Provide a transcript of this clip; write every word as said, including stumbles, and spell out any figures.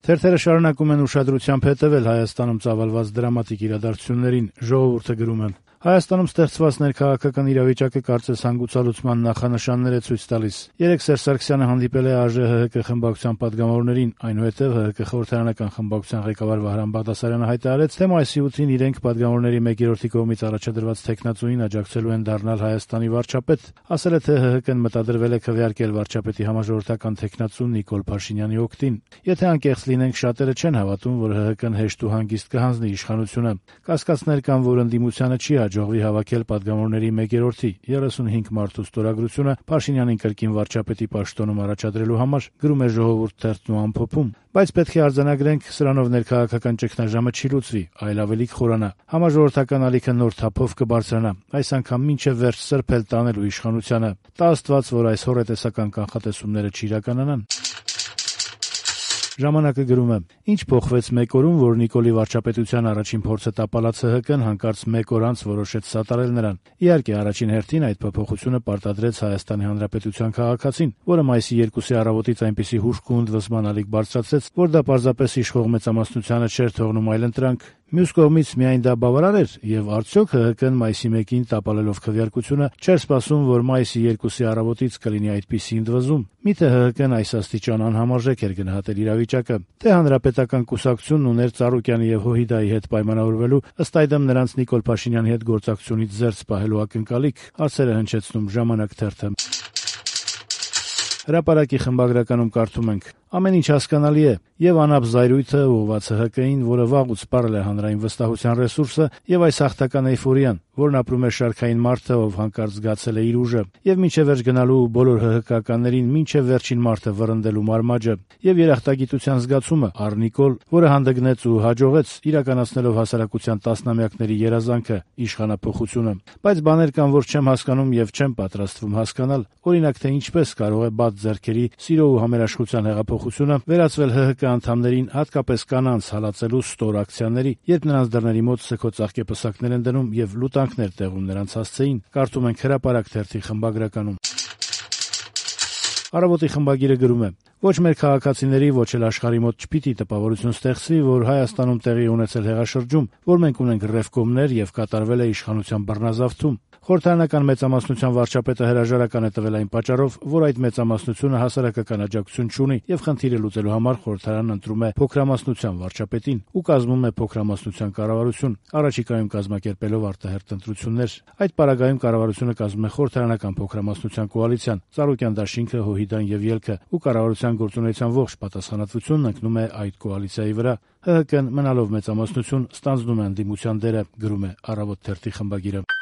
Թերթերը շարունակում են ուշադրությամբ հետևել Հայաստանում ծավալված դրամատիկ իրադարձություններին։ Ժողովուրդը գրում է. Հայաստանում ստեղծված ներքաղաքական իրավիճակը կարծես հանգուցալուծման նախանշաններ է ցույց տալիս։ Երեկ Սերժ Սարգսյանը հանդիպել է ԱԺ-ՀՀԿ խմբակցության падգամավորներին, այնուհետև ՀՀԿ խորհրդարանական խմբակցության ղեկավար Վահրամ Բաղդասարյանը հայտարարեց, թե մայիսի ութին իրենք падգամավորների մեկերորդի կողմից առաջադրված թեկնածուին աջակցելու են դառնալ Հայաստանի վարչապետ։ Ասել է, թե ՀՀԿ-ն մտադրվել է քվեարկել վարչապետի համաժողովրդական թեկնածու Նիկոլ Փաշինյանի օգտին։ Եթե անկեղծ լինենք, շատերը չեն հավատում, որ ՀՀԿ-ն հեշտ ու հանգիստ կհանձնի իշխանությունը։ Կասկածներ կան, որ ընդդիմությանը չի հաջողվի հավաքել падգամավորների մեկերորդի երեսունհինգ մարդու ստորագրությունը Փաշինյանին կրկին վարչապետի պաշտոնում առաջադրելու համար, գրում է Ժողովուրդ թերթն ու ամփոփում։ Բայց պետք է արձանագրենք, սրանով ներքաղաքական ճգնաժամը չի լուծվի, այլ ավելի կխորանա։ Համաժողովրդական ալիքը նոր թափով կբարձրանա, այս անգամ մինչև վերջ սրբել տանելու իշխանությանը։ Տա Աստված, որ այս հոռետեսական կանխատեսումները չիրականանան։ Ժամանակը գրում է. Ինչ փոխվեց մեկ օրում, որ Նիկոլի վարչապետության առաջին փորձը տապալած ՀՀԿ-ն հանկարծ մեկ օր անց որոշեց սատարել նրան։ Իհարկե, առաջին հերթին այդ փոփոխությունը պարտադրեց Հայաստանի Հանրապետության քաղաքացին, որը մայիսի երկուսի առավոտից այնպիսի հուժկ ու ընդվզման ալիք բարձրացրեց, որ դա պարզապես իշխող մեծամասնությանը չէր թողնում այլընտրանք։ Մյուս կողմից միայն դա բավարար էր, եւ արդյոք ՀՀԿ-ն մայիսի մեկին տապալելով քվեարկությունը չէր սպասում, որ մայիսի երկուսի առավոտից կլինի այդպիսի ընդվզում։ Միթե ՀՀԿ-ն այս աստիճան անհամարժեք էր գնահատել իրավիճակը, թե հանրապետական կուսակցությունն ուներ Ծառուկյանի եւ Հոհիդայի հետ պայմանավորվելու, ըստ այդմ նրանց Նիկոլ Փաշինյանի հետ գործակցությունից զերծ պահելու ակնկալիք, հարցեր է հնչեցնում Ժամանակ թերթը։ Հրապարակի խմբագրականում կարդում ենք. ամեն ինչ հասկանալի է, եւ անապ զայրույթը ուղղված ՀՀԿ-ին, որը վաղուց սպառել է հանրային վստահության ռեսուրսը, եւ այս հաղթական էյֆորիան, որն ապրում է շարքային մարդը, ով հանկարծ զգացել է իր ուժը, եւ մինչեւ վերջ գնալու բոլոր ՀՀԿ-ականներին մինչեւ վերջին մարդը վռնդելու մարմաճը, եւ երախտագիտության զգացումը առ Նիկոլ, որը հանդգնեց ու հաջողեց իրականացնելով հասարակության տասնամյակների երազանքը իշխանափոխությունը։ Բայց բաներ կան, որ չեմ հասկանում եւ չեմ պատրաստվում հասկանալ, օրինակ թե ինչպես կարող է բաց ձեռքերի սիրո ու համերաշխության հեղափոխությունը վերածվել ՀՀԿ անդամներին, հատկապես կանանց հալածելու ստոր ակցիաների, երբ նրանց դռների մոտ սգո ծաղկեպսակներ են դնում եւ լուտանքներ տեղում նրանց հասցեին, կարդում ենք Հրապարակ թերթի խմբագրականում։ Առավոտի խմբագիրը գրում է. ոչ մեր քաղաքացիների, ոչ էլ աշխարհի մոտ չպիտի տպավորություն ստեղծվի, որ Հայաստանում տեղի ունեցել հեղաշրջում, որ մենք ունենք ռևկոմներ եւ կատարվել է իշխանության բռնազավթում։ Խորհրդարանական մեծամասնության վարչապետը հրաժարական է տվել այն պատճառով, որ այդ մեծամասնությունը հասարակական աջակցություն չունի եւ խնդիրը լուծելու համար խորհրդարանն ընտրում է փոքրամասնության վարչապետին ու կազմում է փոքրամասնության կառավարություն, առաջիկայում կազմակերպելով արտահերթ ընտրություններ։ Այդ պարագայում կառավարությունը կազմում է խորհրդարանական փոքրամասնության կոալիցիան, Ծառուկյան դաշինքը, Հոհիդան եւ Ելքը, ու կառավարության գործունեության ողջ պատասխանատվությունն ընկնում է այդ կոալիցիայի վրա։ ՀՀԿ-ն մնալով մեծամասնություն ստանձնում է ընդդիմության դերը, գրում է Առավոտ թերթի խմբագիրը։